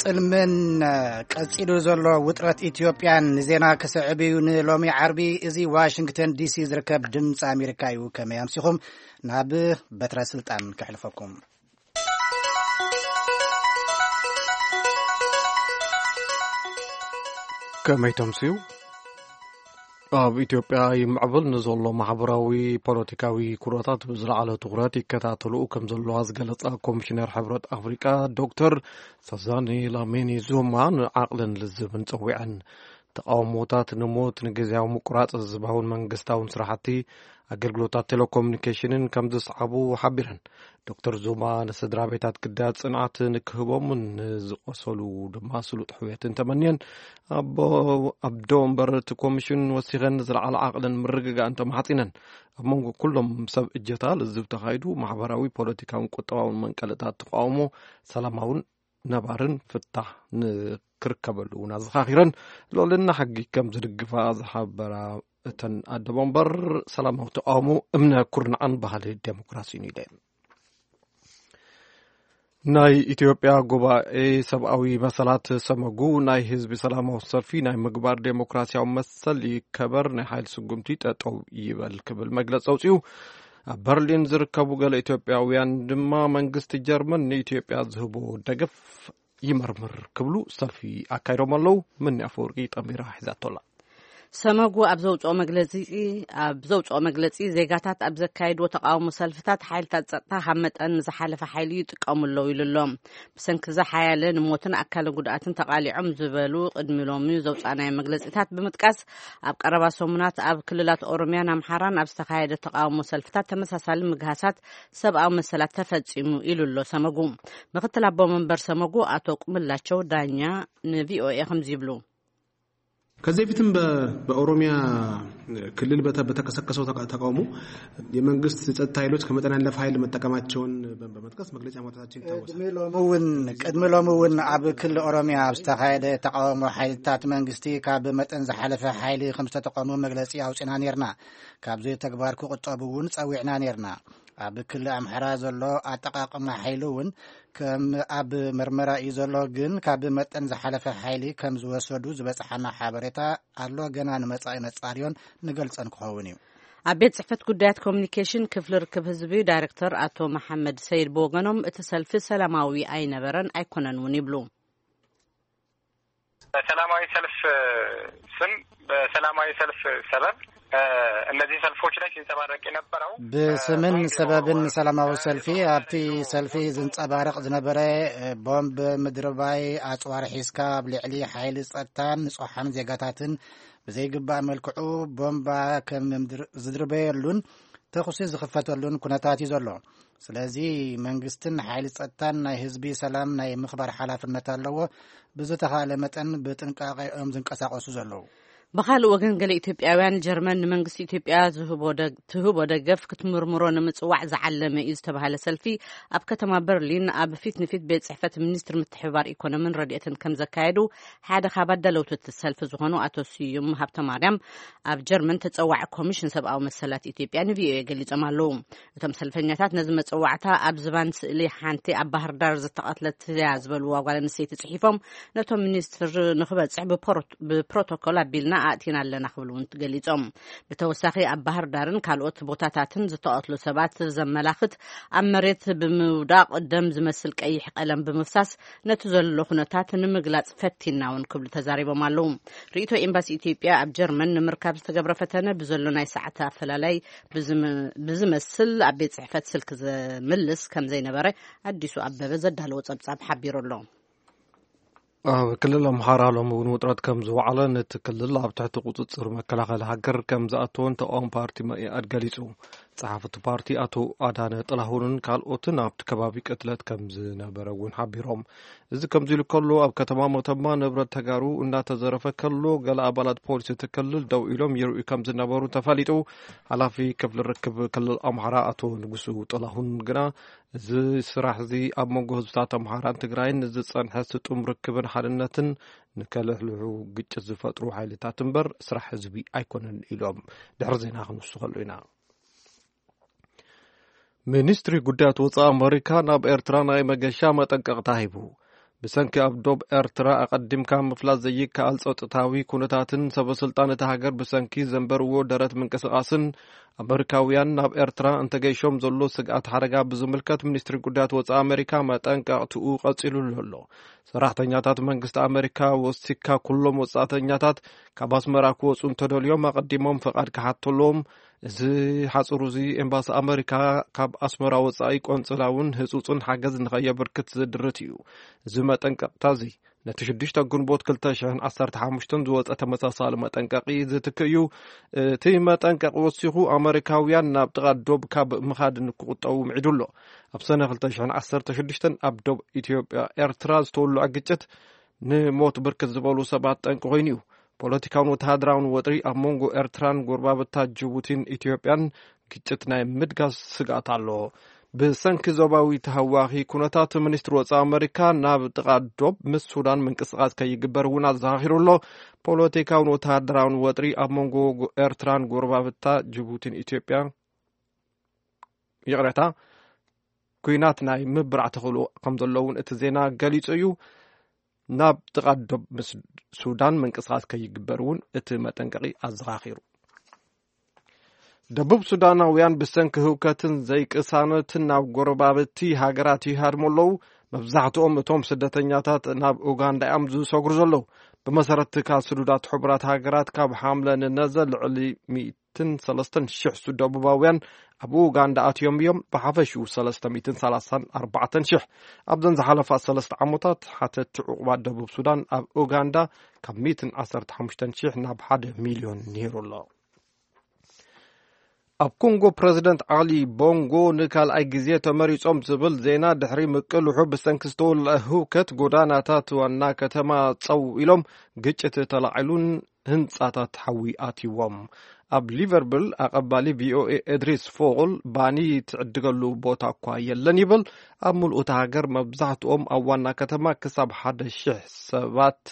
ጽልምን ቀጺሉ ዘሎ ውጥረት ኢትዮጵያን ንዜና ክስዕብ እዩ። ንሎሚ ዓርቢ እዚ ዋሽንግተን ዲሲ ዝርከብ ድምፂ ኣሜሪካ እዩ። ከመይ ኣምሲኹም? ናብ በትረ ስልጣን ከሕልፈኩም። ከመይ ተምስዩ? ኣብ ኢትዮጵያ ይምዕብል ንዘሎ ማሕበራዊ ፖለቲካዊ ኩነታት ብዝለዓለ ትኹረት ይከታተሉ ከም ዘለዋ ዝገለጻ ኮሚሽነር ሕብረት ኣፍሪቃ ዶክተር ሳዛኒ ላሚኒ ዙማ ንዓቕልን ልዝብን ጸዊዐን። ተቃውሞታት ንሞት፣ ንግዜያዊ ምቁራጽ ህዝባውን መንግስታውን ስራሕቲ፣ ኣገልግሎታት ቴሌኮሙኒኬሽንን ከም ዝስዓቡ ሓቢረን። ዶክተር ዙማ ንስድራ ቤታት ግዳያት ጽንዓት ንክህቦምን ንዝቆሰሉ ድማ ስሉጥ ሕውየትን ተመንየን። ኣቦ-፣ ኣዶ ወንበር እቲ ኮሚሽን ወሲኸን ንዝለዓለ ዓቕልን ምርግጋእን ተማሕጺነን። ኣብ መንጎ ኩሎም ሰብ እጀታ ልዝብ ተኻይዱ ማሕበራዊ፣ ፖለቲካውን ቁጠባውን መንቀልታት ተቃውሞ ሰላማውን ነባርን ፍታሕ ንክርከበሉ እውን ኣዘኻኺረን። ልዕልና ሕጊ ከም ዝድግፋ ዝሓበራ እተን ኣደ መንበር፣ ሰላማዊ ተቃውሞ እምነ ኩርናዕን ባህሊ ዴሞክራሲን እዩ ኢለን። ናይ ኢትዮጵያ ጉባኤ ሰብኣዊ መሰላት ሰመጉ ናይ ህዝቢ ሰላማዊ ሰልፊ ናይ ምግባር ዴሞክራሲያዊ መሰል ይከበር፣ ናይ ሓይሊ ስጉምቲ ጠጠው ይበል ክብል መግለጺ ኣውጺኡ። ኣብ በርሊን ዝርከቡ ገለ ኢትዮጵያውያን ድማ መንግስቲ ጀርመን ንኢትዮጵያ ዝህቦ ደገፍ ይመርምር ክብሉ ሰልፊ ኣካይዶም ኣለዉ። ምኒ ኣፈወርቂ ጠሚራ ሒዛቶላ። ሰመጉ ኣብ ዘውፅኦ መግለፂ፣ ኣብ ዘውፅኦ መግለፂ፣ ዜጋታት ኣብ ዘካየድዎ ተቃውሞ ሰልፍታት ሓይልታት ፀጥታ ካብ መጠን ዝሓለፈ ሓይሊ ይጥቀሙ ኣለዉ ኢሉ ኣሎ። ብሰንኪ እዚ ሓያለ ንሞትን ኣካለ ጉድኣትን ተቃሊዖም ዝበሉ ቅድሚ ሎሚ ዘውፃእናዮ መግለፂታት ብምጥቃስ፣ ኣብ ቀረባ ሰሙናት ኣብ ክልላት ኦሮሚያን ኣምሓራን ኣብ ዝተኻየደ ተቃውሞ ሰልፍታት ተመሳሳሊ ምግሃሳት ሰብኣዊ መሰላት ተፈፂሙ ኢሉ ኣሎ ሰመጉ። ምክትል ኣቦ መንበር ሰመጉ ኣቶ ቁምላቸው ዳኛ ንቪኦኤ ከምዚ ይብሉ። ከዚህ በፊትም በ-፣ በኦሮሚያ ክልል በተ-፣ በተቀሰቀሰው ተቃ-፣ ተቃውሞ የመንግስት ጸጥታ ኃይሎች ከመጠን ያለፈ ኃይል መጠቀማቸውን በ-፣ በመጥቀስ መግለጫ ማውጣታቸው ይታወሳል። ቅድሚ ሎሚ እውን፣ ቅድሚ ሎሚ እውን ኣብ ክልል ኦሮሚያ ኣብ ዝተኻየደ ተቃውሞ ሓይልታት መንግስቲ ካብ መጠን ዝሓለፈ ሓይሊ ከም ዝተጠቀሙ መግለጺ ኣውጺና ነርና። ካብዚ ተግባር ክቁጠቡ እውን ጸዊዕና ነርና። ኣብ ክልል ኣምሓራ ዘሎ ኣጠቃቅማ ሓይሊ እውን ከም ኣብ መርመራ እዩ ዘሎ፣ ግን ካብ መጠን ዝሓለፈ ሓይሊ ከም ዝወሰዱ ዝበጽሓና ሓበሬታ ኣሎ። ገና ንመጻኢ ነጻርዮን ንገልጸን ክኸውን እዩ። ኣብ ቤት ጽሕፈት ጉዳያት ኮሚኒኬሽን ክፍሊ ርክብ ህዝቢ ዳይሬክተር ኣቶ መሓመድ ሰይድ ብወገኖም፣ እቲ ሰልፊ ሰላማዊ ኣይነበረን ኣይኮነን እውን ይብሉ። በሰላማዊ ሰልፍ ስም፣ በሰላማዊ ሰልፍ ሰበብ፣ እ፣ እነዚህ ሰልፎች ላይ ሲንጸባረቅ የነበረው፣ እ፣ በስምን ቦምብ ሰበብን የወረወሩ፣ ሰላማዊ እ፣ ሰልፊ፣ የቦምብ፣ ኣብቲ ሰልፊ ዝንጸባረቕ ዝነበረ፣ እ፣ ቦምብ ምድርባይ፣ ኣጽዋር ሒዝካ ኣብ ልዕሊ ሓይሊ ጸጥታን ንጹሓን ዜጋታትን ብዘይግባእ መልክዑ ቦምባ ከም ምድር-፣ ዝድርበየሉን ተኹሲ ዝኽፈተሉን ኩነታት እዩ ዘሎ። ስለዚ መንግስትን ሓይሊ ጸጥታን ናይ ህዝቢ ሰላም ናይ ምኽባር ሓላፍነት ኣለዎ። ብዝተኻእለ መጠን ብጥንቃቄ እዮም ዝንቀሳቐሱ ዘለዉ። ብኻልእ ወገን፣ ገለ ኢትዮጵያውያን ጀርመን ንመንግስቲ ኢትዮጵያ ዝህቦ ደግ-፣ ትህቦ ደገፍ ክትምርምሮ ንምጽዋዕ ዝዓለመ እዩ ዝተባህለ ሰልፊ ኣብ ከተማ በርሊን ኣብ ፊት ንፊት ቤት ጽሕፈት ሚኒስትሪ ምትሕብባር ኢኮኖምን ረድኤትን ከም ዘካየዱ ሓደ ካብ ኣዳለውቲ እቲ ሰልፊ ዝኾኑ ኣቶ ስዩም ሃብተማርያም ኣብ ጀርመን ተጸዋዒ ኮሚሽን ሰብኣዊ መሰላት ኢትዮጵያ ንቪኦኤ ገሊጾም ኣለዉ። እቶም ሰልፈኛታት ነዚ መጸዋዕታ ኣብ ዝባን ስእሊ ሓንቲ ኣብ ባህር ዳር ዝተቐትለት እያ ዝበልዋ ጓል ኣንስተይቲ ጽሒፎም፣ ነቶም ሚኒስትር ንኽበጽሕ ብፖሮ-፣ ብፕሮቶኮል ኣቢልና ኣእቲና ኣለና ክብሉ እውን ገሊጾም። ብተወሳኺ ኣብ ባህር ዳርን ካልኦት ቦታታትን ዝተቐትሉ ሰባት ዘመላኽት ኣብ መሬት ብምውዳቕ ደም ዝመስል ቀይሕ ቀለም ብምፍሳስ ነቲ ዘሎ ኩነታት ንምግላጽ ፈቲና እውን ክብሉ ተዛሪቦም ኣለዉ። ርእይቶ ኤምባሲ ኢትዮጵያ ኣብ ጀርመን ንምርካብ ዝተገብረ ፈተነ ብዘሎ ናይ ሰዓት ኣፈላላይ ብዝም-፣ ብዝመስል ኣብ ቤት ጽሕፈት ስልኪ ዘምልስ ከም ዘይነበረ ኣዲሱ ኣበበ ዘዳለዎ ጸብጻብ ሓቢሩ ኣሎ። ኣብ ክልል ኣምሓራ ሎሚ እውን ውጥረት ከም ዝወዓለ ነቲ ክልል ኣብ ትሕቲ ቁጽጽር መከላኸሊ ሃገር ከም ዝኣተወን ተቃዋሚ ፓርቲ መኢኣድ ገሊጹ። ጸሓፊ እቲ ፓርቲ ኣቶ ኣዳነ ጥላሁንን ካልኦትን ኣብቲ ከባቢ ቅትለት ከም ዝነበረ እውን ሓቢሮም። እዚ ከምዚ ኢሉ ከሎ፣ ኣብ ከተማ መተማ ንብረት ተጋሩ እናተዘረፈ ከሎ፣ ገለ ኣባላት ፖሊስ እቲ ክልል ደው ኢሎም ይርእዩ ከም ዝነበሩ ተፈሊጡ። ሓላፊ ክፍሊ ርክብ ክልል ኣምሓራ ኣቶ ንጉሱ ጥላሁን ግና፣ እዚ ስራሕ እዚ ኣብ መንጎ ህዝብታት ኣምሓራን ትግራይን ዝጸንሐ ስጡም ርክብን ሓድነትን ንከልሕልሑ ግጭት ዝፈጥሩ ሓይልታት እምበር ስራሕ ህዝቢ ኣይኮነን ኢሎም። ድሕሪ ዜና ክንውስኸሉ ኢና። ሚኒስትሪ ጉዳያት ወጻኢ ኣመሪካ ናብ ኤርትራ ናይ መገሻ መጠንቀቕታ ሂቡ። ብሰንኪ ኣብ ዶብ ኤርትራ ኣቐዲምካ ምፍላጥ ዘይከኣል ጸጥታዊ ኩነታትን ሰበ ስልጣን እታ ሃገር ብሰንኪ ዘንበርዎ ደረት ምንቅስቓስን ኣመሪካውያን ናብ ኤርትራ እንተገይሾም ዘሎ ስግኣት ሓደጋ ብዝምልከት ሚኒስትሪ ጉዳያት ወጻኢ ኣመሪካ መጠንቀቕትኡ ቀጺሉሉ ኣሎ። ሰራሕተኛታት መንግስቲ ኣመሪካ ወሲካ ኩሎም ወጻእተኛታት ካብ ኣስመራ ክወጹ እንተደልዮም ኣቐዲሞም ፈቓድ ክሓተሎም፣ እዚ ሓጽሩ እዚ ኤምባሲ ኣመሪካ ካብ ኣስመራ ወጻኢ ቆንጽላ እውን ህጹጽን ሓገዝ ንኸየበርክት ዝድርት እዩ። እዚ መጠንቀቕታ እዚ ነቲ ሽዱሽተ ግንቦት ክልተ ሽሕን ዓሰርተ ሓሙሽተን ዝወጸ ተመሳሳሊ መጠንቀቒ ዝትክእ እዩ። እቲ መጠንቀቒ ወሲኹ ኣመሪካውያን ናብ ጥቓ ዶብ ካብ ምኻድ ንክቑጠቡ ምዒዱ ኣሎ። ኣብ ሰነ ክልተ ሽሕን ዓሰርተ ሽዱሽተን ኣብ ዶብ ኢትዮጵያ ኤርትራ ዝተወልዐ ግጭት ንሞት ብርክት ዝበሉ ሰባት ጠንቂ ኮይኑ እዩ። ፖለቲካውን ወተሃደራውን ወጥሪ ኣብ መንጎ ኤርትራን ጎረባብታ ጅቡቲን ኢትዮጵያን ግጭት ናይ ምድጋስ ስግኣት ኣሎ። ብሰንኪ ዞባዊ ተሃዋኺ ኩነታት፣ ሚኒስትሪ ወጻኢ ኣመሪካ ናብ ጥቓ ዶብ ምስ ሱዳን ምንቅስቓስ ከይግበር እውን ኣዘኻኺሩ ኣሎ። ፖለቲካውን ወተሃደራውን ወጥሪ ኣብ መንጎ ጎ-፣ ኤርትራን ጎረባብታ ጅቡቲን ኢትዮጵያ፣ ይቕሬታ፣ ኲናት ናይ ምብራዕ ተኽእሎ ከም ዘሎ እውን እቲ ዜና ገሊጹ እዩ። ናብ ጥቓ ዶብ ምስ ሱዳን ምንቅስቓስ ከይግበር እውን እቲ መጠንቀቒ ኣዘኻኺሩ። ደቡብ ሱዳናውያን ብሰንኪ ህውከትን ዘይቅሳነትን ናብ ጎረባብቲ ሃገራት ይሃድሙ ኣለዉ። መብዛሕትኦም እቶም ስደተኛታት ናብ ኡጋንዳ እዮም ዝሰግሩ ዘለዉ። ብመሰረት ትካል ስዱዳት ሕቡራት ሃገራት፣ ካብ ሓምለ ንነዘ ልዕሊ ሚእትን ሰለስተን ሽሕ ሱ-፣ ደቡባውያን ኣብ ኡጋንዳ ኣትዮም እዮም። ብሓፈሽኡ ሰለስተ ሚእትን ሰላሳን ኣርባዕተን ሽሕ። ኣብዘን ዝሓለፋ ሰለስተ ዓመታት፣ ሓተቲ ዕቑባ ደቡብ ሱዳን ኣብ ኡጋንዳ ካብ ሚእትን ዓሰርተ ሓሙሽተን ሽሕ ናብ ሓደ ሚልዮን ነይሩ ኣሎ። ኣብ ኮንጎ፣ ፕረዚደንት ዓሊ ቦንጎ ንካልኣይ ግዜ ተመሪጾም ዝብል ዜና ድሕሪ ምቅልሑ፣ ብሰንኪ ዝተወልዐ ህውከት ጎዳናታት ዋና ከተማ ጸው ኢሎም፣ ግጭት ተላዒሉን ህንጻታት ሓዊ ኣትይዎም። ኣብ ሊቨርፑል፣ ኣቐባሊ ቪኦኤ ኤድሪስ ፎል ባኒ ትዕድገሉ ቦታ እኳ የለን ይብል። ኣብ ምሉእ እታ ሃገር፣ መብዛሕትኦም ኣብ ዋና ከተማ ክሳብ ሓደ ሽሕ ሰባት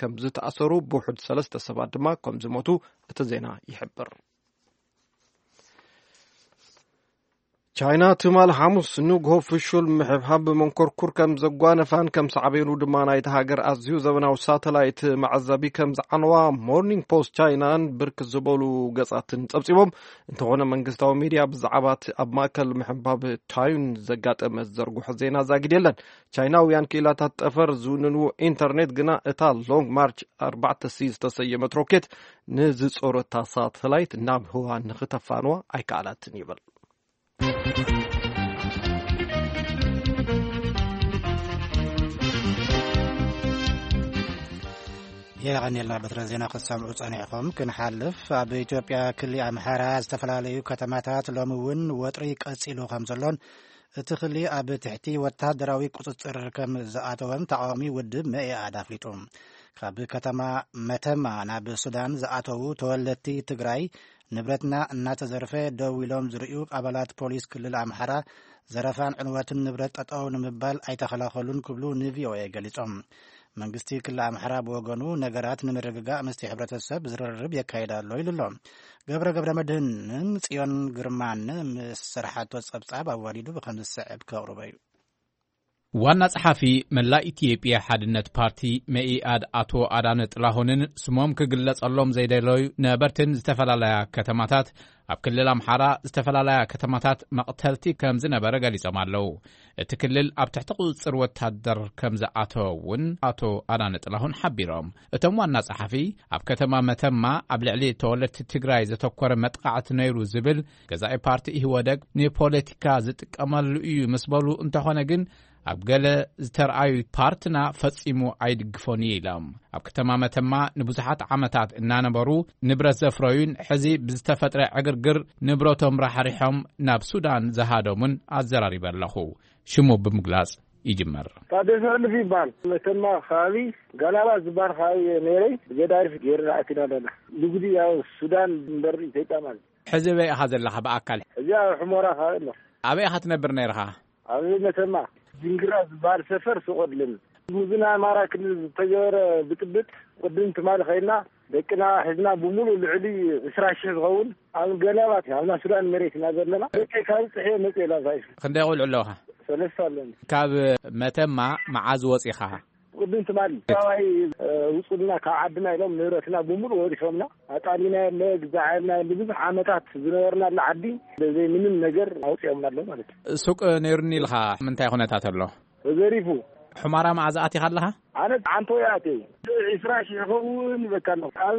ከም ዝተኣሰሩ፣ ብውሑድ ሰለስተ ሰባት ድማ ከም ዝሞቱ እቲ ዜና ይሕብር። ቻይና ትማል ሓሙስ ንግሆ ፍሹል ምሕብሓብ ብመንኮርኩር ከም ዘጓነፋን ከም ሳዕቤኑ ድማ ናይታ ሃገር ኣዝዩ ዘበናዊ ሳተላይት መዓዘቢ ከም ዝዓነዋ ሞርኒንግ ፖስት ቻይናን ብርክት ዝበሉ ገጻትን ጸብጺቦም። እንተኾነ መንግስታዊ ሚድያ ብዛዕባ እቲ ኣብ ማእከል ምሕባብ ታዩን ዘጋጠመ ዘርጉሖ ዜና ዛጊድ የለን። ቻይናውያን ክኢላታት ጠፈር ዝውንንዎ ኢንተርኔት ግና እታ ሎንግ ማርች ኣርባዕተ ሲ ዝተሰየመት ሮኬት ንዝጾረታ ሳተላይት ናብ ህዋ ንኽተፋንዋ ኣይከኣላትን ይብል። የቐንየልና በትረ ዜና ክትሰምዑ ጸኒሕኹም። ክንሓልፍ፣ ኣብ ኢትዮጵያ ክሊ ኣምሓራ ዝተፈላለዩ ከተማታት ሎሚ እውን ወጥሪ ቀጺሉ ከም ዘሎን እቲ ክሊ ኣብ ትሕቲ ወታደራዊ ቁጽጽር ከም ዝኣተወን ተቃዋሚ ውድብ መኢኣድ ኣፍሊጡ። ካብ ከተማ መተማ ናብ ሱዳን ዝኣተዉ ተወለድቲ ትግራይ ንብረትና እናተዘርፈ ደው ኢሎም ዝርእዩ ኣባላት ፖሊስ ክልል ኣምሓራ ዘረፋን ዕንወትን ንብረት ጠጠው ንምባል ኣይተኸላኸሉን ክብሉ ንቪኦኤ ገሊጾም። መንግስቲ ክልል ኣምሓራ ብወገኑ ነገራት ንምርግጋእ ምስቲ ሕብረተሰብ ዝርርብ የካይድ ኣሎ ኢሉ ኣሎ። ገብረ ገብረ መድህንን ጽዮን ግርማን ምስ ዝሰርሓቶ ጸብጻብ ኣዋዲዱ ብኸም ዝስዕብ ከቕርቦ እዩ። ዋና ጸሓፊ መላእ ኢትዮጵያ ሓድነት ፓርቲ መኢኣድ ኣቶ ኣዳነ ጥላሁንን ስሞም ክግለጸሎም ዘይደለዩ ነበርትን ዝተፈላለያ ከተማታት፣ ኣብ ክልል ኣምሓራ ዝተፈላለያ ከተማታት መቕተልቲ ከም ዝነበረ ገሊጾም ኣለዉ። እቲ ክልል ኣብ ትሕቲ ቁጽጽር ወታደር ከም ዝኣተወ እውን ኣቶ ኣዳነ ጥላሁን ሓቢሮም። እቶም ዋና ጸሓፊ፣ ኣብ ከተማ መተማ ኣብ ልዕሊ ተወለድቲ ትግራይ ዘተኮረ መጥቃዕቲ ነይሩ ዝብል ገዛኢ ፓርቲ ኢህወደግ ንፖለቲካ ዝጥቀመሉ እዩ ምስ በሉ፣ እንተኾነ ግን ኣብ ገለ ዝተርኣዩ ፓርትና ፈጺሙ ኣይድግፎን እዩ ኢሎም። ኣብ ከተማ መተማ ንብዙሓት ዓመታት እናነበሩ ንብረት ዘፍረዩን ሕዚ ብዝተፈጥረ ዕግርግር ንብረቶም ራሕሪሖም ናብ ሱዳን ዝሃደሙን ኣዘራሪበ ኣለኹ። ሽሙ ብምግላጽ ይጅመር። ታደሰ ሕልፍ ይበሃል። መተማ ከባቢ ጋላባ ዝበሃል ከባቢ ነይረይ፣ ብገዳሪፍ ገይርና ኣቲና ኣለና። ንግዲ ያው ሱዳን እምበር ኢትዮጵያ ማለት። ሕዚ በይ ኢኻ ዘለኻ ብኣካል? ሕዚ ኣብ ሕሞራ ከባቢ ኣሎ። ኣበይ ኢኻ ትነብር ነይርኻ? ኣብ መተማ ጅንግራ ዝበሃል ሰፈር ሱቕ ኣለኒ። ምስዚ ናይ ኣማራ ክልል ዝተገበረ ብጥብጥ ቅድም ትማሊ ኸይድና ደቅና ሒዝና ብምሉእ ልዕሊ ዕስራ ሽሕ ዝኸውን ኣብ ገላባት ኣብና ሱዳን መሬት ኢና ዘለና። ደቀይ ካብ ጽሕየ መጽእ ኢላ ዛይፍ። ክንደይ ቆልዑ ኣለውኻ? ሰለስተ ኣለኒ። ካብ መተማ መዓዝ ወፂኻ? ቅድም ትማሊ ሰብኣይ፣ እ፣ ውፁልና ካብ ዓድና ኢሎም ንብረትና ብምሉእ ወሪሶምና። ኣጣሊና የለ፣ ግዛዕ የለ፣ ንብዙሕ ዓመታት ዝነበርናሉ ዓዲ ብዘይ ምንም ነገር ኣውፂኦምና ኣሎ ማለት እዩ። ሱቅ ነይሩኒ ኢልካ፣ ምንታይ ኩነታት ኣሎ? ተዘሪፉ። ሑማራ መዓዝ ኣቲኻ ኣለኻ? ኣነ ዓንቶ እየ ኣትየ። ዒስራ ሺሕ ይኸውን ይበካ ኣሎ። ኣብ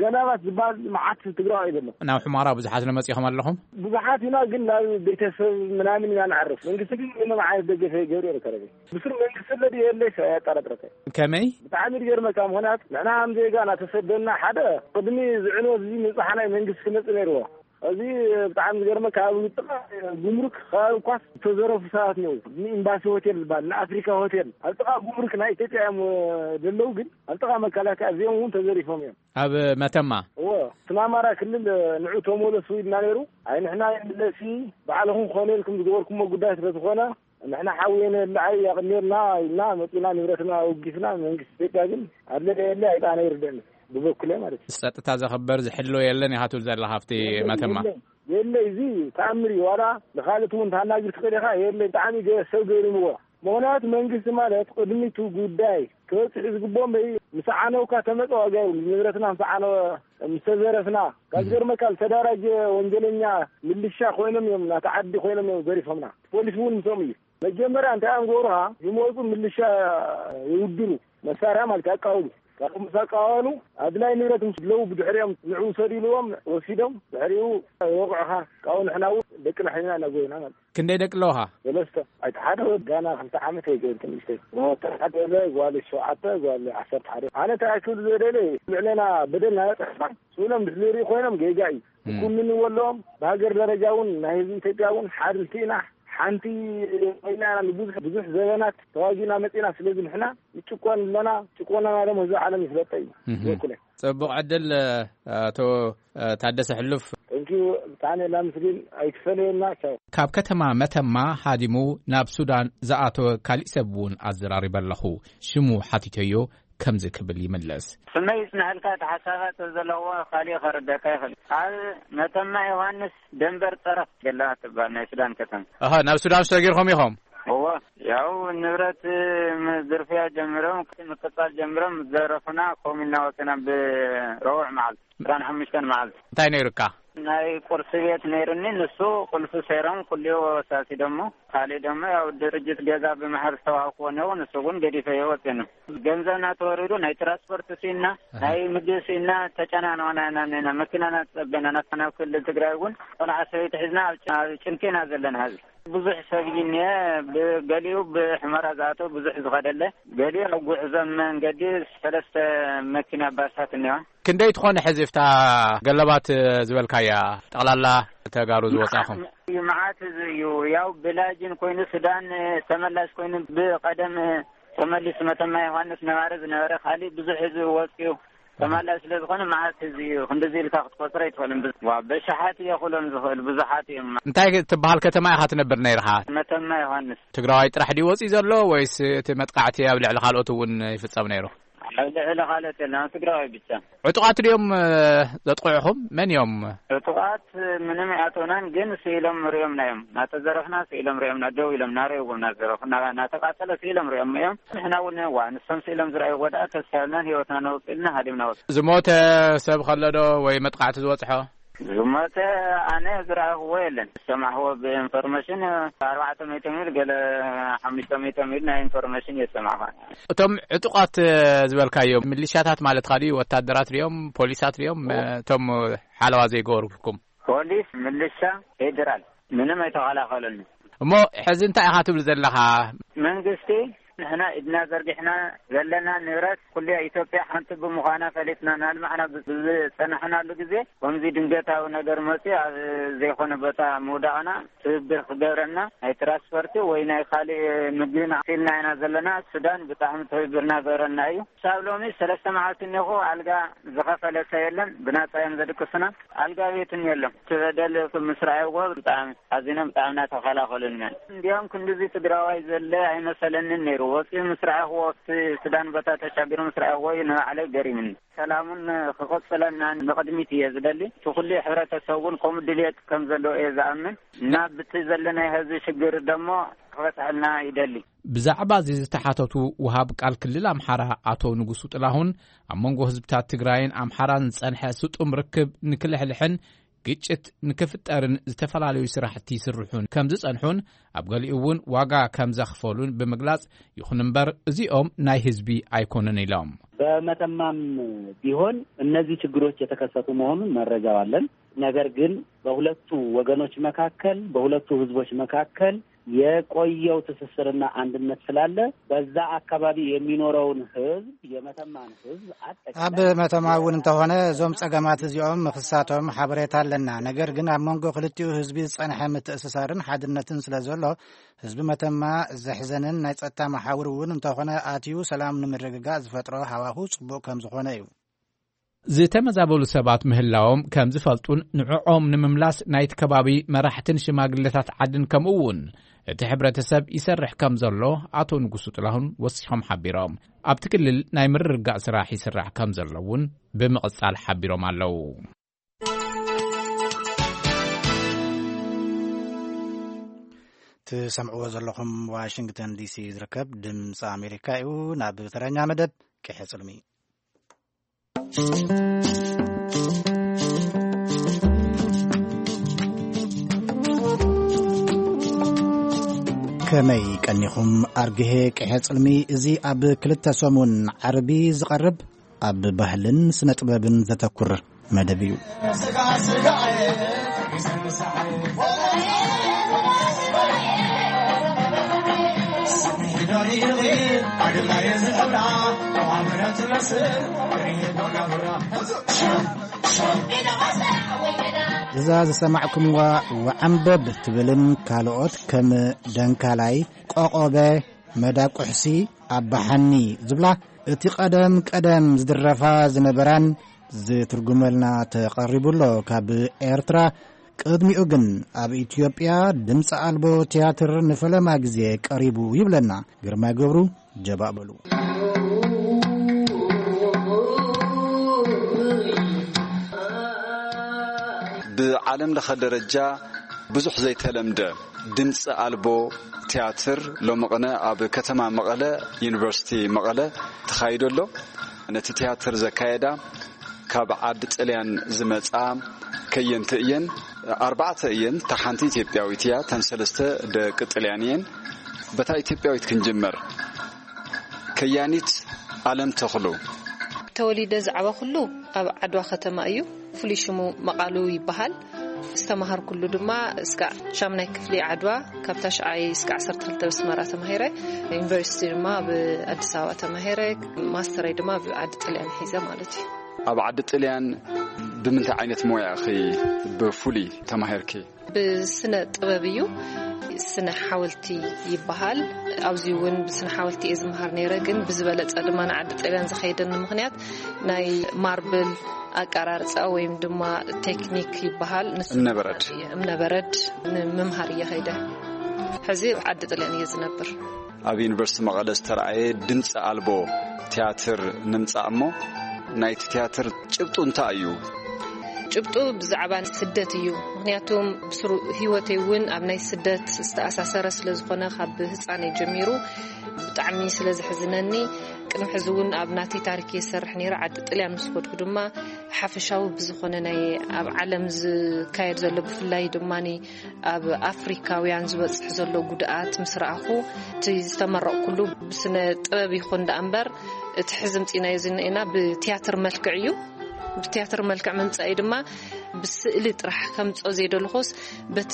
ገላባት ዝበሃል መዓት ትግራዋይ ዘሎ። ናብ ሑማራ ብዙሓት ነመፂኹም ኣለኹም? ብዙሓት ኢና፣ ግን ናብ ቤተሰብ ምናምን ኢና ንዓርፍ። መንግስቲ ግን ምንም ዓይነት ደገፈ ይገብር ይርከረበ። ብስሩ መንግስቲ ለዲ የለይ ሰ ያጠራጥረከ። ከመይ? ብጣዕሚ ዝገርመካ ምኽንያት ንሕና ከም ዜጋ እናተሰደና ሓደ ቅድሚ ዝዕንወት እዚ ምብጻሕ ናይ መንግስቲ ክመጽእ ነይርዎ። እዚ ብጣዕሚ ዝገርመካ ኣብ ጥቓ ጉምሩክ ከባቢ ኳስ ዝተዘረፉ ሰባት ነው። ንኤምባሲ ሆቴል ዝበሃል፣ ንኣፍሪካ ሆቴል ኣብ ጥቓ ጉምሩክ ናይ ኢትዮጵያ እዮም ዘለዉ፣ ግን ኣብ ጥቓ መከላከያ እዚኦም እውን ተዘሪፎም እዮም። ኣብ መተማ? እዎ፣ እቲ ኣማራ ክልል ንዑ ተመለሱ ኢልና ነይሩ። ኣይ ንሕና ይምለሲ፣ ባዕልኹም ኮነ ኢልኩም ዝገበርኩሞ ጉዳይ ስለ ዝኾነ ንሕና ሓውየነ ለዓይ ያቕኔልና ኢልና መፂና ንብረትና ኣውጊስና። መንግስቲ ኢትዮጵያ ግን ኣለለ የለ ኣይጣነ ይርደኒ ብበኩለ ማለት እዩ። ጸጥታ ዘኸበር ዝሕሎ የለን ኢኻ ትብል ዘለኻ ኣብቲ መተማ? የለ፣ የለ፣ እዚ ተኣምር እዩ። ዋላ ንኻልእ እውን ታናግር ትኽእል ኢኻ። የለ፣ ብጣዕሚ ገ-፣ ሰብ ገሪምዎ። ምኽንያቱ መንግስቲ ማለት ቅድሚቱ ጉዳይ ክበፅሕ ዝግብኦም በይ ምስ ዓነውካ ተመፀ ዋጋ ይብሉ። ንብረትና ምስ ዓነወ፣ ምስ ተዘረፍና፣ ካብ ዝገርመካ ዝተደራጀ ወንጀለኛ ምልሻ ኮይኖም እዮም፣ ናቲ ዓዲ ኮይኖም እዮም ዘሪፎምና። ፖሊስ እውን ምስኦም እዩ። መጀመርያ እንታይ እዮም ዝገብሩኻ? ዝመፁ ምልሻ ይውድሩ፣ መሳርያ ማለት ኣቃውሉ። ካብኡ ምስ ኣቃዋሉ ኣድላይ ንብረት ምስ ለዉ ብድሕሪኦም ንዑ ውሰዱ ኢልዎም ወሲዶም፣ ድሕሪኡ ይወቕዑኻ። ካብኡ ንሕና እውን ደቅና ሒዝና ኢና ጎይና ማለት እዩ። ክንደይ ደቂ ኣለውኻ? ሰለስተ። እቲ ሓደ ወዲ ጋና ክልተ ዓመት ኣይገበርኩን ንእሽተይ። እቲ ሓደ ወደ ጓል ሸውዓተ፣ ጓል ዓሰርተ ሓደ። ኣነ እንታይ ክብል ዝደለ፣ ልዕለና በደል ናበፅሕና ስኢኖም ምስ ዝርኢ ኮይኖም ጌጋ እዩ። እም። ክኩንንዎ ኣለዎም። ብሃገር ደረጃ እውን ናይ ህዝቢ ኢትዮጵያ እውን ሓንቲ ኢና፣ ሓንቲ ኮይና ኢና ንብዙሕ፣ ብዙሕ ዘበናት ተዋጊእና መፂና። ስለዚ ንሕና ንጭቆን ኣለና፣ ጭቆናና ደሞ ህዝቢ ዓለም ይፍለጠ እዩ። እህ። በኩለይ። ጽቡቕ ዕድል፣ ኣቶ ታደሰ ሕሉፍ። Thank you፣ ብጣዕሚ ላምስግን፣ ኣይትፈለየና፣ ቻው። ካብ ከተማ መተማ ሃዲሙ ናብ ሱዳን ዝኣተወ ካሊእ ሰብ እውን ኣዘራሪበ ኣለኹ። ሽሙ ሓቲተዮ ከምዚ ክብል ይምልስ። ስመይ ይጽንሐልካ፣ እቲ ሓሳባት ዘለዎ ካሊእ ከረደካ ይኽእል። ኣብ መተማ ዮሃንስ ደንበር ጸረፍ ገላ ትባል ናይ ሱዳን ከተማ። ኣሃ፣ ናብ ሱዳን ሰጊርኩም ኢኹም? እወ፣ ያው ንብረት ዝርፍያ ጀምሮም፣ ምቅጻል ጀምሮም፣ ዘረፉና፣ ከምኡ ኢልና ወጺና ብረቡዕ መዓልቲ። ዕስራን ሓሙሽተን መዓልቲ። እንታይ ነይሩካ? ናይ ቁርሲ ቤት ነይሩኒ፣ ንሱ ቁልፊ ሰይሮም ኩልዮ ወሳሲዶሞ። ካልእ ደሞ ያው ድርጅት ገዛ ብምሃብ ዝተዋሃብክዎ ነይሩ፣ ንሱ እውን ገዲፈዮ ወጺኤ። ገንዘብና ተወሪዱ፣ ናይ ትራንስፖርት ስኢንና፣ ኣሃ። ናይ ምግቢ ስኢንና፣ ተጨናንቕና ኢና እኒና። መኪናና ተጸበና፣ ናብታ ናብ ክልል ትግራይ እውን ቆልዓ ሰበይቲ ሒዝና ኣብ ጭ-፣ ኣብ ጭንቂ ኢና ዘለና ሕዚ። ብዙሕ ሰብ እዩ እኒሀ፣ ብ-፣ ገሊኡ ብሑመራ ዝኣተወ ብዙሕ ዝኸደለ፣ ገሊኡ ኣብ ጉዕዞ መንገዲ ሰለስተ መኪና ባሳት እኒዋ። ክንደይ ትኾነ ሕዚ እፍታ ገለባት ዝበልካያ ጠቕላላ ተጋሩ ዝወጻኹም? እዩ፣ መዓት ህዝቢ እዩ። ያው ብላጅን ኮይኑ ሱዳን ተመላሽ ኮይኑ ብቐደም ተመሊሱ መተማ ዮሃንስ ነባሪ ዝነበረ ካሊእ ብዙሕ ህዝቢ ወጽዩ ተመላሽ ስለ ዝኾነ መዓት ህዝቢ እዩ። ክንድዚ ኢልካ ክትቆጽሮ ኣይትኽእልን። ብዝ-፣ ዋ፣ በሽሓት እየ ክብሎም ዝኽእል፣ ብዙሓት እዮም። እንታይ ትበሃል ከተማ ኢኻ ትነብር ነይርኻ? መተማ ዮሃንስ። ትግራዋይ ጥራሕ ድዩ ወጽዩ ዘሎ ወይስ እቲ መጥቃዕቲ ኣብ ልዕሊ ካልኦት እውን ይፍጸም ነይሩ? ኣብ ልዕሊ ካልኦት የለን፣ ኣብ ትግራዋይ ብቻ። ዕጡቓት ድዮም፣ እ፣ ዘጥቕዑኹም? መን እዮም? ዕጡቓት ምንም ኣይኣተውናን፣ ግን ስኢሎም ሪኦምና እዮም። እናተዘረፍና ስኢሎም ሪኦምና፣ ደው ኢሎም እናረእዎም እናዘረፉ፣ እና-፣ እናተቃጸለ ስኢሎም ሪኦም እዮም። ንሕና እውን ዋ፣ ንሶም ስኢሎም ዝረኣዩ ወድኣ ተስፋ የብልናን፣ ህይወትና ነውጽእ ኢልና ሃዲምና ወጽ-። ዝሞተ ሰብ ከሎ ዶ ወይ መጥቃዕቲ ዝበጽሖ? ዝሞተ ኣነ ዝረኣኽዎ የለን። ዝሰማዕኽዎ ብኢንፎርሜሽን ኣርባዕተ ሚእቲ ሚል ገለ ሓሙሽተ ሚእቲ ሚል ናይ ኢንፎርሜሽን እየ ዝሰማዕኻ። እቶም ዕጡቓት ዝበልካዮም ሚሊሻታት ማለትካ ድዩ? ወታደራት ድዮም? ፖሊሳት ድዮም? ኦ። እቶም ሓለዋ ዘይገበሩልኩም? ፖሊስ፣ ሚሊሻ፣ ፌደራል ምንም ኣይተኸላኸሉን። እሞ ሕዚ እንታይ ኢኻ ትብል ዘለኻ? መንግስቲ ንሕና ኢድና ዘርጊሕና ዘለና ንብረት ኩሉ ኢትዮጵያ ሓንቲ ብምዃና ፈሊጥና እናልማዕና ብ-፣ ብዝጸናሕናሉ ግዜ፣ ከምዚ ድንገታዊ ነገር መጽዩ ኣብ ዘይኮነ ቦታ ምውዳቕና ትብብር ክገብረና፣ ናይ ትራንስፖርቲ ወይ ናይ ካልእ ምግብና ኢልና ኢና ዘለና። ሱዳን ብጣዕሚ ትብብርና ገብረና እዩ። ክሳብ ሎሚ ሰለስተ መዓልቲ እኒኹ ኣልጋ ዝኸፈለ ሰብ የለን፣ ብናጻ እዮም ዘድቅሱና። ኣልጋ ቤትን የለን። እቲ በደል ምስ ረኣይዎ ብጣዕሚ ኣዚኖም ብጣዕሚ እናተኸላኸሉና። እንዲያውም ክንድዚ ትግራዋይ ዘለ ኣይመሰለንን ነይሩ። ወፂኡ ምስ ረኣኽዎ፣ ኣብቲ ክዳን ቦታ ተሻጊሩ ምስ ረኣኽዎ እዩ ንባዕለይ ገሪምኒ። ሰላሙን ክቕፅለና ንቕድሚት እየ ዝደሊ። እቲ ኩሉ ሕብረተሰብ እውን ከምኡ ድልየት ከም ዘለዎ እየ ዝኣምን እና ብቲ ዘለናይ ህዝቢ ሽግር ደሞ ክፈትሐልና ይደሊ። ብዛዕባ እዚ ዝተሓተቱ ወሃብ ቃል ክልል ኣምሓራ ኣቶ ንጉሱ ጥላሁን፣ ኣብ መንጎ ህዝብታት ትግራይን ኣምሓራን ዝጸንሐ ስጡም ርክብ ንክልሕልሕን ግጭት ንክፍጠርን ዝተፈላለዩ ስራሕቲ ይስርሑን ከም ዝጸንሑን፣ ኣብ ገሊኡ እውን ዋጋ ከም ዘኽፈሉን ብምግላጽ፣ ይኹን እምበር እዚኦም ናይ ህዝቢ ኣይኮኑን ኢሎም። በመተማም ቢሆን እነዚህ ችግሮች የተከሰቱ መሆኑን መረጃው አለን። ነገር ግን በሁለቱ ወገኖች መካከል፣ በሁለቱ ህዝቦች መካከል የቆየው ትስስርና አንድነት ስላለ፣ በዛ አካባቢ የሚኖረውን ህዝብ፣ የመተማን ህዝብ አጠቃላይ ኣብ መተማ እውን እንተኾነ፣ እዞም ጸገማት እዚኦም ምኽሳቶም ሓበሬታ ኣለና። ነገር ግን ኣብ መንጎ ክልቲኡ ህዝቢ ዝጸንሐ ምትእስሳርን ሓድነትን ስለ ዘሎ፣ ህዝቢ መተማ ዘሕዘንን ናይ ጸጥታ መሓውር እውን እንተኾነ ኣትዩ ሰላም ንምርግጋእ ዝፈጥሮ ሃዋሁ ጽቡቕ ከም ዝኾነ እዩ። ዝተመዛበሉ ሰባት ምህላዎም ከም ዝፈልጡን ንዕኦም ንምምላስ ናይቲ ከባቢ መራሕትን ሽማግለታት ዓድን ከምኡ እውን እቲ ሕብረተሰብ ይሰርሕ ከም ዘሎ ኣቶ ንጉሱ ጥላሁን ወሲኾም ሓቢሮም። ኣብቲ ክልል ናይ ምርርጋእ ስራሕ ይስራሕ ከም ዘሎ እውን ብምቕጻል ሓቢሮም ኣለዉ። ትሰምዕዎ ዘለኹም ዋሽንግተን ዲሲ ዝርከብ ድምፂ ኣሜሪካ እዩ። ናብ ተረኛ መደብ ቅሐ ጽልሚ። ከመይ ቀኒኹም ኣርግሄ ቅሐ ጽልሚ? እዚ ኣብ ክልተ ሰሙን ዓርቢ ዝቐርብ ኣብ ባህልን ስነ ጥበብን ዘተኩር መደብ እዩ። እዛ ዝሰማዕኩምዋ ወዓንበብ ትብልን ካልኦት ከም ደንካላይ፣ ቆቆበ፣ መዳ ቁሕሲ፣ ኣባሓኒ ዝብላ እቲ ቀደም ቀደም ዝድረፋ ዝነበራን ዝትርጉመልና ተቐሪቡ ኣሎ ካብ ኤርትራ። ቅድሚኡ ግን ኣብ ኢትዮጵያ ድምፂ ኣልቦ ትያትር ንፈለማ ግዜ ቀሪቡ ይብለና ግርማይ ገብሩ። ጀባእ በሉ። ብዓለም ለኸ ደረጃ ብዙሕ ዘይተለምደ ድምፂ ኣልቦ ትያትር ሎሚ ቅነ ኣብ ከተማ መቐለ፣ ዩኒቨርሲቲ መቐለ ተኻይዶ ኣሎ። ነቲ ትያትር ዘካየዳ ካብ ዓዲ ጥልያን ዝመጻ ከየንቲ እየን። ኣርባዕተ እየን። እታ ሓንቲ ኢትዮጵያዊት እያ። እተን ሰለስተ ደቂ ጥልያን እየን። በታ ኢትዮጵያዊት ክንጅመር። ከያኒት ኣለም ተኽሉ። ተወሊደ ዝዓበኹሉ ኣብ ዓድዋ ከተማ እዩ። ፍሉይ ሽሙ መቓሉ ይበሃል። ዝተማሃርኩሉ ድማ እስካዕ ሻምናይ ክፍሊ ዓድዋ፣ ካብ ታሽዓይ እስካዕ ዓሰርተ ክልተ ብስመራ ተማሂረ። ዩኒቨርሲቲ ድማ ኣብ ኣዲስ ኣበባ ተማሂረ። ማስተረይ ድማ ኣብ ዓዲ ጥልያን ሒዘ ማለት እዩ። ኣብ ዓዲ ጥልያን ብምንታይ ዓይነት ሞያ ኢኺ ብፍሉይ ተማሂርኪ? ብስነ ጥበብ እዩ። ስነ ሓወልቲ ይበሃል። ኣብዚ እውን ብስነ ሓወልቲ እየ ዝመሃር ነይረ፣ ግን ብዝበለጸ ድማ ንዓዲ ጥልያን ዝኸይደኒ ምኽንያት ናይ ማርብል ኣቀራርጻ ወይም ድማ ቴክኒክ ይበሃል። ንሱ እምነበረድ። እምነበረድ ንምምሃር እየ ኸይደ። ሕዚ ኣብ ዓዲ ጥልያን እየ ዝነብር። ኣብ ዩኒቨርሲቲ መቐለ ዝተረኣየ ድምፂ ኣልቦ ትያትር ንምፃእ እሞ፣ ናይቲ ትያትር ጭብጡ እንታይ እዩ? ጭብጡ ብዛዕባ ስደት እዩ። ምኽንያቱም ብስሩ ህይወተይ እውን ኣብ ናይ ስደት ዝተኣሳሰረ ስለ ዝኾነ፣ ካብ ህፃነይ ጀሚሩ ብጣዕሚ ስለ ዘሕዝነኒ፣ ቅድሚ ሕዚ እውን ኣብ ናተይ ታሪክ እየ ዝሰርሕ ነይረ። ዓዲ ጥልያን ምስ ከድኩ ድማ ሓፈሻዊ ብዝኾነ ናይ ኣብ ዓለም ዝካየድ ዘሎ፣ ብፍላይ ድማ ኣብ ኣፍሪካውያን ዝበፅሕ ዘሎ ጉድኣት ምስ ረኣኹ፣ እቲ ዝተመረቕኩሉ ብስነ ጥበብ ይኹን ደኣ እምበር፣ እቲ ሕዚ ምፂናዮ ዝኒኤና ብትያትር መልክዕ እዩ። ብትያትር መልክዕ ምምፃእ ድማ ብስእሊ ጥራሕ ከምፅኦ ዘይደለኹስ፣ በቲ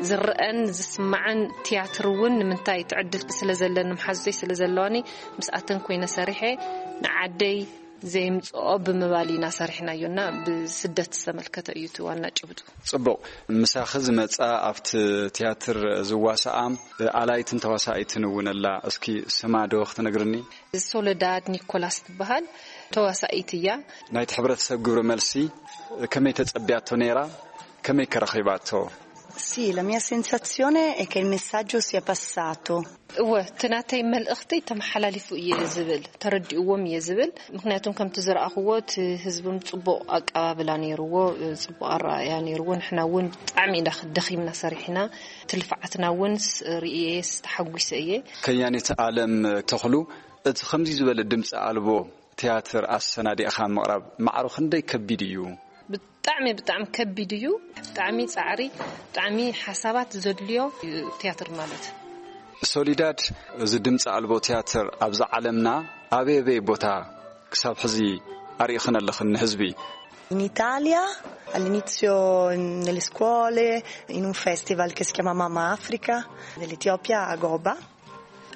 ዝረአን ዝስማዕን ትያትር እውን ንምንታይ ትዕድል ስለ ዘለኒ፣ መሓዙተይ ስለ ዘለዋኒ፣ ምስኣተን ኮይነ ሰሪሐ ንዓደይ ዘይምፅኦ ብምባል ኢና ሰሪሕናዮ እና ብስደት ዝተመልከተ እዩ እቲ ዋና ጭብጡ። ጽቡቕ። ምሳኺ ዝመጻ ኣብቲ ትያትር ዝዋሳኣ ኣላይትን ተዋሳኢትን እውን ኣላ። እስኪ ስማ ዶ ክትነግርኒ? ሶለዳድ ኒኮላስ ትበሃል ተዋሳኢት እያ። ናይቲ ሕብረተሰብ ግብረ መልሲ ከመይ ተጸብያቶ ነይራ? ከመይ ከ ረኺባቶ? Sì, la mia sensazione è che il messaggio sia passato. እወ፣ እቲ ናተይ መልእኽቲ ተመሓላሊፉ እየ ዝብል፣ ተረዲእዎም እየ ዝብል። ምክንያቱም ከምቲ ዝረኣኽዎ እቲ ህዝብም ጽቡቕ ኣቀባብላ ነይርዎ፣ ጽቡቕ ኣረኣእያ ነይርዎ። ንሕና እውን ብጣዕሚ ኢና ደኺምና ሰሪሕና፣ እቲ ልፍዓትና እውን ስ- ርእየ ተሓጒሰ እየ። ከያኒት ኣለም ተኽሉ፣ እቲ ከምዚ ዝበለ ድምፂ ኣልቦ ትያትር ኣሰናዲእኻ ምቕራብ ማዕሮ ክንደይ ከቢድ እዩ? ብጣዕሚ ብጣዕሚ ከቢድ እዩ። ብጣዕሚ ፃዕሪ፣ ብጣዕሚ ሓሳባት ዘድልዮ እዩ ትያትር ማለት። ሶሊዳድ፣ እዚ ድምፂ ኣልቦ ትያትር ኣብዚ ዓለምና ኣበይ ኣበይ ቦታ ክሳብ ሕዚ ኣርኢኽን ኣለኽን ንህዝቢ? In Italia, all'inizio in- nelle scuole, in un festival che si chiama Mamma Africa, dell'Etiopia a Goba.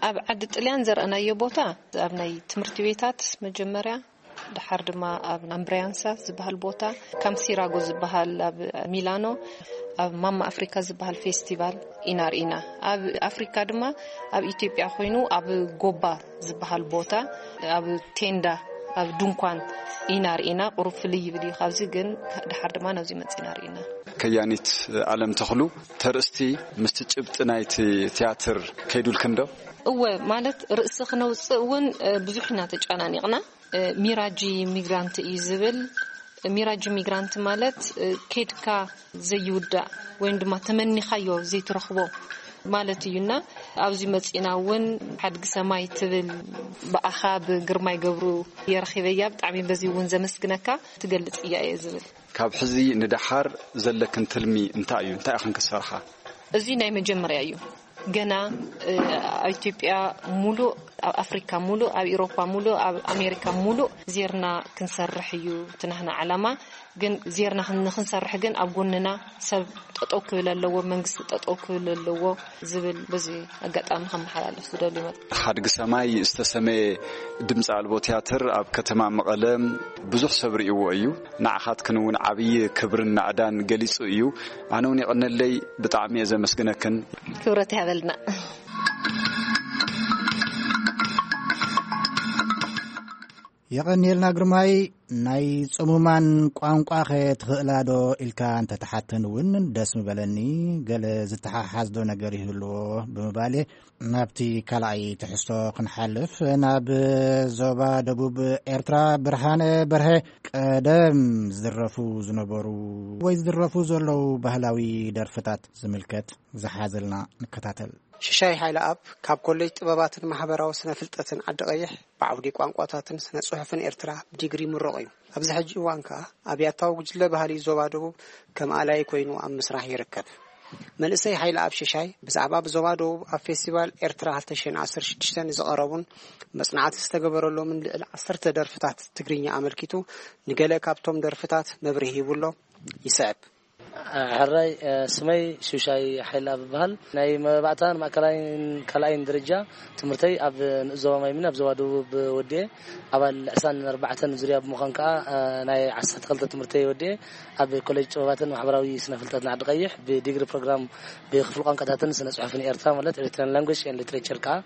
ኣብ ዓዲ ጥልያን ዘርኣናዮ ቦታ ኣብ ናይ ትምህርቲ ቤታት መጀመርያ፣ ድሓር ድማ ኣብ ኣምብሪያንሳ ዝበሃል ቦታ፣ ካምሲራጎ ዝበሃል ኣብ ሚላኖ፣ ኣብ ማማ ኣፍሪካ ዝበሃል ፌስቲቫል ኢና ርኢና። ኣብ ኣፍሪካ ድማ ኣብ ኢትዮጵያ ኮይኑ ኣብ ጎባ ዝበሃል ቦታ ኣብ ቴንዳ፣ ኣብ ድንኳን ኢና ርኢና። ቁሩብ ፍልይ ይብል እዩ ካብዚ፣ ግን ድሓር ድማ ናብዚ መፂና ርኢና። ከያኒት ኣለም ተኽሉ፣ ተርእስቲ ምስቲ ጭብጢ ናይቲ ትያትር ከይዱልክን ዶ? እወ፣ ማለት ርእሲ ክነውፅእ እውን ብዙሕ ኢና ተጨናኒቕና። ሚራጂ ሚግራንት እዩ ዝብል። ሚራጂ ሚግራንት ማለት ኬድካ ዘይውዳእ ወይም ድማ ተመኒኻዮ ዘይትረኽቦ ማለት እዩና። ኣብዚ መፂና እውን ሓድጊ ሰማይ ትብል ብኣኻ ብግርማይ ገብሩ የረኺበያ። ብጣዕሚ በዚ እውን ዘመስግነካ። ትገልፅ እያ እየ ዝብል። ካብ ሕዚ ንደሓር ዘለክን ትልሚ እንታይ እዩ? እንታይ ኢኽን ክትሰርሓ? እዚ ናይ መጀመርያ እዩ። ገና ኣብ ኢትዮጵያ ሙሉእ፣ ኣብ ኣፍሪካ ሙሉእ፣ ኣብ ኢሮፓ ሙሉእ፣ ኣብ ኣሜሪካ ሙሉእ ዜርና ክንሰርሕ እዩ እቲ ናህና ዓላማ። ግን ዜርና ንክንሰርሕ ግን ኣብ ጎንና ሰብ ጠጠው ክብል ኣለዎ፣ መንግስቲ ጠጠው ክብል ኣለዎ ዝብል በዚ ኣጋጣሚ ከመሓላልፍ ዝደልዩ መ- ሓድጊ ሰማይ ዝተሰመየ ድምፂ ኣልቦ ትያትር ኣብ ከተማ መቐለ ብዙሕ ሰብ ርእይዎ እዩ። ንዓኻትክን እውን ዓብዪ ክብርን ናእዳን ገሊፁ እዩ። ኣነ እውን የቐነለይ፣ ብጣዕሚ እየ ዘመስግነክን። ክብረት ይሃበልና። የቐንየልና ግርማይ። ናይ ጽሙማን ቋንቋኸ ትኽእላዶ ኢልካ እንተተሓተን እውን ደስ ምበለኒ። ገለ ዝተሓሓዝዶ ነገር ይህልዎ ብምባል እየ ናብቲ ካልኣይ ትሕዝቶ ክንሓልፍ። ናብ ዞባ ደቡብ ኤርትራ ብርሃነ በርሀ ቀደም ዝድረፉ ዝነበሩ ወይ ዝድረፉ ዘለዉ ባህላዊ ደርፍታት ዝምልከት ዝሓዘልና ንከታተል። ሽሻይ ሓይለኣብ ካብ ኮሌጅ ጥበባትን ማሕበራዊ ስነ ፍልጠትን ዓዲ ቀይሕ ብዓውዲ ቋንቋታትን ስነ ጽሑፍን ኤርትራ ብዲግሪ ምሩቕ እዩ። ኣብዚ ሕጂ እዋን ከኣ ኣብ ያታዊ ጉጅለ ባህሊ ዞባ ደቡብ ከም ኣላይ ኮይኑ ኣብ ምስራሕ ይርከብ። መንእሰይ ሓይለኣብ ሽሻይ ብዛዕባ ብዞባ ደቡብ ኣብ ፌስቲቫል ኤርትራ ክልተ ሽሕን ዓሰርተ ሽዱሽተን ዝቐረቡን መጽናዕቲ ዝተገበረሎምን ልዕሊ ዓሰርተ ደርፍታት ትግርኛ ኣመልኪቱ ንገለ ካብቶም ደርፍታት መብርሂ ሂቡሎ። ይስዕብ። ሕራይ፣ ስመይ ሹሻይ ሓይላ ብበሃል። ናይ መባእታን ማእከላይን ካልኣይን ደረጃ ትምህርተይ ኣብ ንኡስ ዞባ ማይምን ኣብ ዞባ ደቡብ ወዲኤ፣ ኣባል ዕስራን ኣርባዕተን ዙርያ ብምዃን ከኣ ናይ ዓሰርተ ክልተ ትምህርተይ ወዲኤ ኣብ ኮሌጅ ጥበባትን ማሕበራዊ ስነ ፍልጠትን ዓዲ ቀይሕ ብዲግሪ ፕሮግራም ብክፍሊ ቋንቋታትን ስነ ጽሑፍን ኤርትራ ማለት Eritrean Language and Literature ከኣ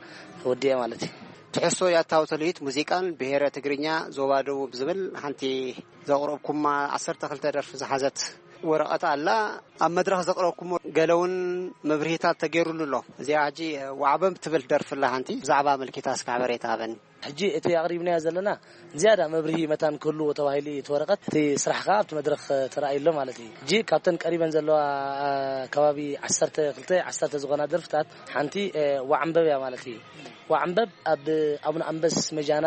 ወዲኤ ማለት እዩ። ትሕዝቶ ያታዊ ተልሂት ሙዚቃን ብሄረ ትግርኛ ዞባ ደቡብ ዝብል ሓንቲ ዘቕረብኩማ ዓሰርተ ክልተ ደርፊ ዝሓዘት ወረቐት ኣላ። ኣብ መድረኽ ዘቕረብኩሞ ገለ እውን መብርሂታት ተገይሩሉ ኣሎ። እዚኣ ሕጂ ዋዕበብ ትብል ደርፊ ኣላ ሓንቲ ብዛዕባ ኣመልኪታ እስኪ ሓበሬታ ሃበኒ። ሕጂ እቲ ኣቕሪብናዮ ዘለና ዝያዳ መብርሂ መታን ክህልዎ ተባሂሉ እዩ እቲ ወረቐት። እቲ ስራሕ ከኣ ኣብቲ መድረኽ ተራእዩ ኣሎ ማለት እዩ። ሕጂ ካብተን ቀሪበን ዘለዋ ከባቢ ዓሰርተ ክልተ ዓሰርተ ዝኾና ደርፍታት ሓንቲ ዋዕንበብ እያ ማለት እዩ። ዋዕንበብ ኣብ ኣቡነ ኣንበስ መጃና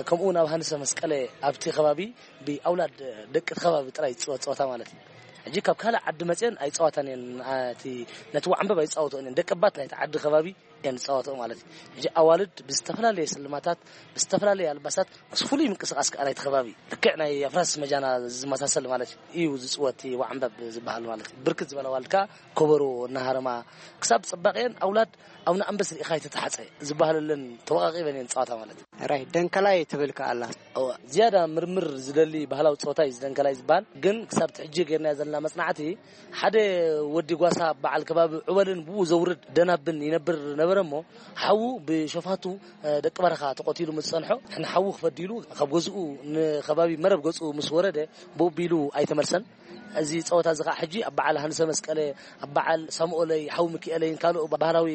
ከምኡ እውን ኣብ ሃንሰ መስቀለ ኣብቲ ከባቢ ብኣውላድ ደቂ እቲ ከባቢ ጥራይ ዝፅወት ፀወታ ማለት እዩ። ሕጂ ካብ ካልእ ዓዲ መፅአን ኣይፃወታን እየን። እቲ ነቲ ዋዕንበብ ኣይፃወትኦን እየን። ደቂ ባት ናይቲ ዓዲ ከባቢ እየን ዝፃወትኦ ማለት እዩ። ሕጂ ኣዋልድ ብዝተፈላለየ ስልማታት ብዝተፈላለየ ኣልባሳት ምስ ፍሉይ ምንቅስቃስ ከዓ ናይቲ ከባቢ ልክዕ ናይ ኣፍራስ መጃና ዝመሳሰል ማለት እዩ ዝፅወት ዋዕንበብ ዝበሃል ማለት እዩ። ብርክት ዝበለ ኣዋልድ ከዓ ከበሮ እናሃረማ ክሳብ ፅባቐየን ኣውላድ ኣቡነ ኣንበስ ርኢኻ ኣይተተሓፀ ዝበሃለለን ተወቃቂበን እየን ዝፃወታ ማለት እዩ። ራይ ደንከላይ ትብል ከኣላ እዋ ዝያዳ ምርምር ዝደሊ ባህላዊ ፀወታ እዩ ዝደንከላይ ዝበሃል። ግን ክሳብ ትሕጂ ገርናዮ ዘለና መፅናዕቲ ሓደ ወዲ ጓሳ በዓል ከባቢ ዑበልን ብኡ ዘውርድ ደናብን ይነብር ነበረ። እሞ ሓዉ ብሸፋቱ ደቂ በረኻ ተቆቲሉ ምስ ጸንሖ ንሓዉ ክፈዲሉ ካብ ገዝኡ ንከባቢ መረብ ገጹ ምስ ወረደ ብኡ ቢሉ ኣይተመልሰን። እዚ ጸወታ እዚ ከዓ ሕጂ ኣብ በዓል ሃንሰ መስቀለ፣ ኣብ በዓል ሳሙኤለይ ሓው ሚኪኤለይን ካልኦ ባህላዊ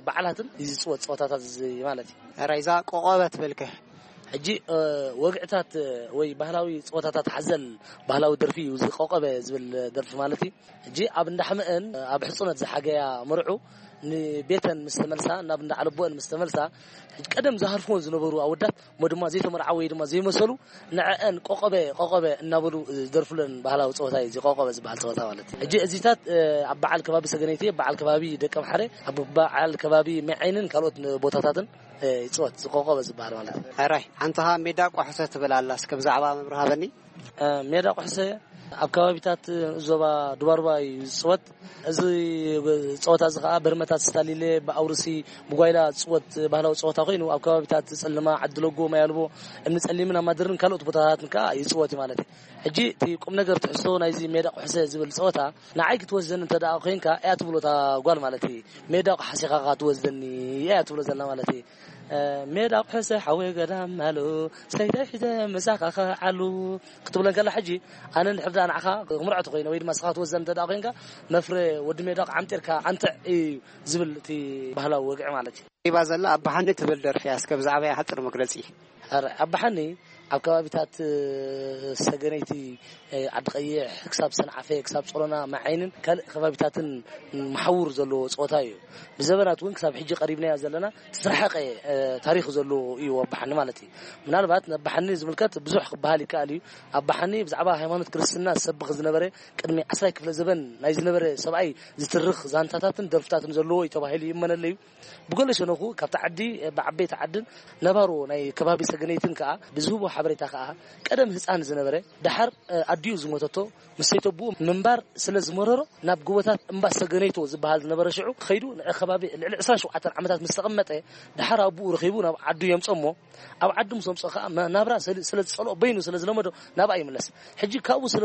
በዓላትን ዝፅወት ጸወታታት እዚ ማለት እዩ። ራይዛ ቆቐበት በልከ። ሕጂ ወግዕታት ወይ ባህላዊ ጸወታታት ሓዘል ባህላዊ ደርፊ እዩ ዝቆቐበ ዝብል ደርፊ ማለት እዩ። ሕጂ ኣብ እንዳሕመአን ኣብ ሕጹነት ዝሓገያ መርዑ ንቤተን ምስ ተመልሳ፣ ናብ እንዳዓለቦአን ምስ ተመልሳ፣ ቀደም ዝሃርፍዎን ዝነበሩ ኣወዳት እሞ ድማ ዘይተመርዓወ ወይ ድማ ዘይመሰሉ ንዐአን ቆቐበ ቆቐበ እናበሉ ዝደርፉለን ባህላዊ ፀወታ እዩ። እዚ ቆቐበ ዝበሃል ፀወታ ማለት እዩ። ሕጂ እዚታት ኣብ በዓል ከባቢ ሰገነይቲ፣ በዓል ከባቢ ደቀምሓረ፣ ኣብ በዓል ከባቢ መዐይንን ካልኦት ቦታታትን ይፅወት ዝቆቐበ ዝበሃል ማለት እዩ። ሕራይ ሓንትኻ ሜዳ ቆሕሰ ትብል ኣላ፣ እስከ ብዛዕባ መብርሃበኒ። ሜዳ ቆሕሰ ኣብ ከባቢታት ዞባ ዱባርባ እዩ ዝፅወት። እዚ ፀወታ እዚ ከዓ በርመታት ስታሊለ፣ ብኣውርሲ፣ ብጓይላ ዝፅወት ባህላዊ ፀወታ ኮይኑ ኣብ ከባቢታት ፅልማ፣ ዓድለጎ፣ ማያልቦ፣ እምኒ ፀሊምን ኣማድርን ካልኦት ቦታታትን ከዓ ይፅወት እዩ ማለት እዩ። ሕጂ እቲ ቁም ነገር ትሕዝቶ ናይዚ ሜዳ ቆሕሰ ዝብል ፀወታ ንዓይ ክትወስደኒ እንተ ደኣ ኮይንካ እያ ትብሎ እታ ጓል ማለት እዩ። ሜዳ ቆሓሲኻ ትወስደኒ እያ ትብሎ ዘላ ማለት እዩ። ሜዳ ቆሕሰ ሓወይ ገዳም ኣሎ ሰይተይ ሒዘ ምሳኻ ከዓሉ ክትብለን ከላ ሕጂ ኣነ እንድሕር ደኣ ንዓኻ ክምርዖ ተኮይነ ወይ ድማ ስኻ ክትወስደኒ እንተ ደኣ ኮይንካ መፍረ ወዲ ሜዳ ኣምጢርካ ኣንትዕ እዩ ዝብል እቲ ባህላዊ ወግዒ ማለት እዩ። ሪባ ዘላ ኣባሓኒ ትብል ደርፊ እያ። እስከ ብዛዕባ እያ ሓፅር መግለፂ። ኣረ ኣባሓኒ ኣብ ከባቢታት ሰገነይቲ ዓዲ ቀይሕ ክሳብ ሰንዓፈ ክሳብ ጾሮና መዓይንን ካልእ ከባቢታትን መሓውር ዘለዎ ጸወታ እዩ። ብዘበናት እውን ክሳብ ሕጂ ቀሪብናዮ ዘለና ዝተረሓቀ ታሪኽ ዘለዎ እዩ ኣባሓኒ ማለት እዩ። ምናልባት ንኣባሓኒ ዝምልከት ብዙሕ ክበሃል ይከኣል እዩ። ኣባሓኒ ብዛዕባ ሃይማኖት ክርስትና ዝሰብኽ ዝነበረ ቅድሚ ዓስራይ ክፍለ ዘበን ናይ ዝነበረ ሰብኣይ ዝትርኽ ዛንታታትን ደርፍታትን ዘለዎ እዩ ተባሂሉ ይእመነሉ እዩ። ብገለ ሸነኹ ካብቲ ዓዲ ብዓበይቲ ዓድን ነባሮ ናይ ከባቢ ሰገነይትን ከኣ ብዝህቦ ሓበሬታ ከኣ ቀደም ህጻን ዝነበረ ደሓር ኣዲኡ ዝሞተቶ ምስ ሰይተብኡ ምንባር ስለ ዝመረሮ ናብ ጎቦታት እምባ ሰገነይቶ ዝበሃል ዝነበረ ሽዑ ከይዱ ንዕ ከባቢ ልዕሊ ዕስራን ሸውዓተን ዓመታት ምስ ተቐመጠ ደሓር ኣቦኡ ረኺቡ ናብ ዓዱ የምጾ እሞ ኣብ ዓዱ ምስ ኣምጾ ከኣ ናብራ ስለ ዝጸልኦ በይኑ ስለ ዝለመዶ ናብኣ ይምለስ። ሕጂ ካብኡ ስለ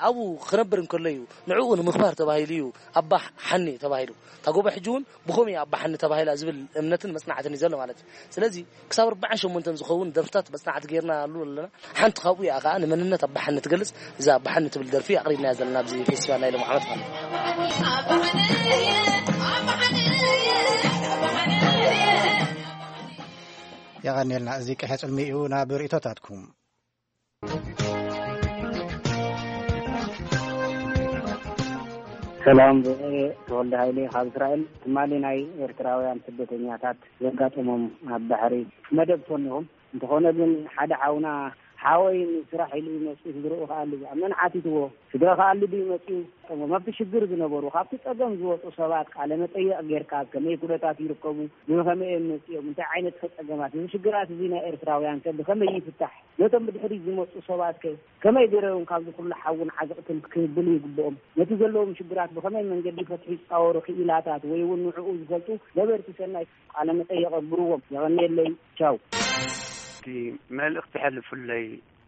ኣብኡ ክነብር እንከሎ እዩ ንዕኡ ንምኽባር ተባሂሉ እዩ ኣባ ሓኒ ተባሂሉ። እታ ጎቦ ሕጂ እውን ብኸምኡ እያ ኣባ ሓኒ ተባሂላ ዝብል እምነትን መጽናዕትን እዩ ዘሎ ማለት እዩ። ስለዚ ክሳብ ኣርባዓን ሸሞንተን ዝኸውን ደርፍታት መጽናዕቲ ጌርናሉ ኣለና። ሓንቲ ካብኡ እያ ከኣ ንመንነት ኣባ ሓኒ ትገልጽ እዛ ኣባ ሓኒ ትብል ደርፊ ኣቕሪብናያ ዘለና ኣብዚ ፌስቲቫል ናይ ሎሚ ዓመት ማለት እዩ። የቐንየልና። እዚ ቅሐ ጽልሚ እዩ ናብ ርእቶታትኩም። ሰላም፣ ተወልደ ሃይለ ካብ እስራኤል። ትማሊ ናይ ኤርትራውያን ስደተኛታት ዘጋጠሞም ኣብ ባሕሪ መደብ ኮኒኹም። እንተኾነ ግን ሓደ ሓውና ሓወይ ንስራሕ ኢሉ መፂኡ ስድርኡ ከኣሊ መን ሓቲትዎ? ስድራ ከኣሊ ድዩ መፂኡ? ጠሞም ኣብቲ ሽግር ዝነበሩ ካብቲ ፀገም ዝወፁ ሰባት ቃለ መጠየቕ ጌርካ ከመይ ኩነታት ይርከቡ? ብኸመይ እዮም መፂኦም? እንታይ ዓይነት ከ ፀገማት? እዚ ሽግራት እዚ ናይ ኤርትራውያን ከ ብኸመይ ይፍታሕ? ነቶም ብድሕሪት ዝመፁ ሰባት ከ ከመይ ገይሮም ካብዚ ኩሉ ሓውን ዓዘቕትን ክህብሉ ይግብኦም? ነቲ ዘለዎም ሽግራት ብኸመይ መንገዲ ፈትሒ ዝፃወሩ ክኢላታት ወይ እውን ንዕኡ ዝፈልጡ ገበርቲ ሰናይ ቃለ መጠየቕ ኣግብርዎም። የቐንየለይ። ቻው። እቲ መልእኽቲ ሕልፉለይ።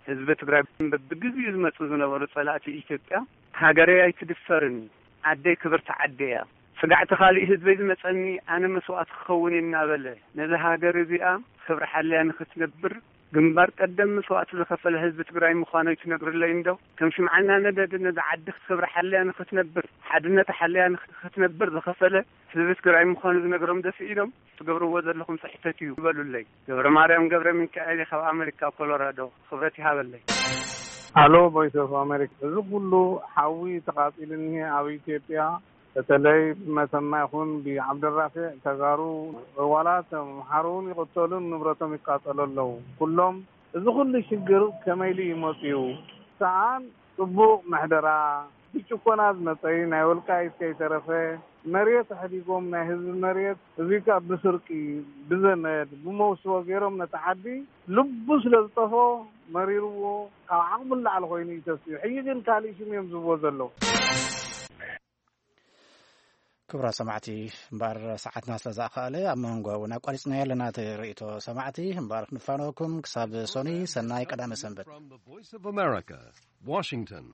ህዝቢ ትግራይ በብግዜኡ ዝመፁ ዝነበሩ ፀላእቲ ኢትዮጵያ ሃገረይ ኣይትድፈርን፣ ዓደይ ክብርቲ ዓደይ እያ፣ ስጋዕቲ ካሊእ ህዝበይ ዝመፀኒ ኣነ መስዋእቲ ክኸውን እናበለ ነዛ ሃገር እዚኣ ክብሪ ሓልያ ንክትነብር ግንባር ቀደም መስዋእቲ ዝኸፈለ ህዝቢ ትግራይ ምዃኑ ኣይትነግርለይ እንዶ? ከም ሽምዓ እናነደደ ነዛ ዓዲ ክብሪ ሓልያ ንክትነብር፣ ሓድነታ ሓልያ ንክትነብር ዝኸፈለ ህዝቢ ትግራይ ምዃኑ ዝነግሮም ደፊኢሎም ትገብርዎ ዘለኹም ስሕተት እዩ ይበሉለይ። ገብረ ማርያም ገብረ ሚካኤል ካብ ኣሜሪካ ኮሎራዶ። ክብረት ይሃበለይ። ኣሎ ቮይስ ኦፍ ኣሜሪካ፣ እዚ ኩሉ ሓዊ ተቓጺሉ እኒሄ ኣብ ኢትዮጵያ፣ በተለይ ብመተማ ይኹን ብዓብደራፊዕ ተጋሩ፣ ዋላ ተምሓሩ እውን ይቕተሉን ንብረቶም ይቃጸሉ ኣለዉ። ኩሎም እዚ ኩሉ ሽግር ከመይ ኢሉ እዩ መጺኡ? ሰኣን ጽቡቕ ምሕደራ፣ ብጭቆና ዝመጸ እዩ፣ ናይ ወልቃይት ከይተረፈ መሬት ኣሕዲጎም ናይ ህዝቢ መሬት፣ እዚ ከኣ ብስርቂ፣ ብዘመድ፣ ብመውስቦ ገይሮም ነቲ ዓዲ ልቡ ስለ ዝጠፍኦ መሪርዎ ካብ ዓቕሙ ንላዕሊ ኮይኑ እዩ ተሲኡ። ሕጂ ግን ካልእ ሽም እዮም ዝህብዎ ዘለዉ። ክቡራት ሰማዕቲ፣ እምበኣር ሰዓትና ስለ ዝኣኸኣለ ኣብ መንጎ እውን ኣቋሪጽናዮ ኣለና እቲ ርእይቶ ሰማዕቲ። እምበኣር ክንፋነወኩም ክሳብ ሶኒ ሰናይ ቀዳመ ሰንበት። From the Voice of America, Washington.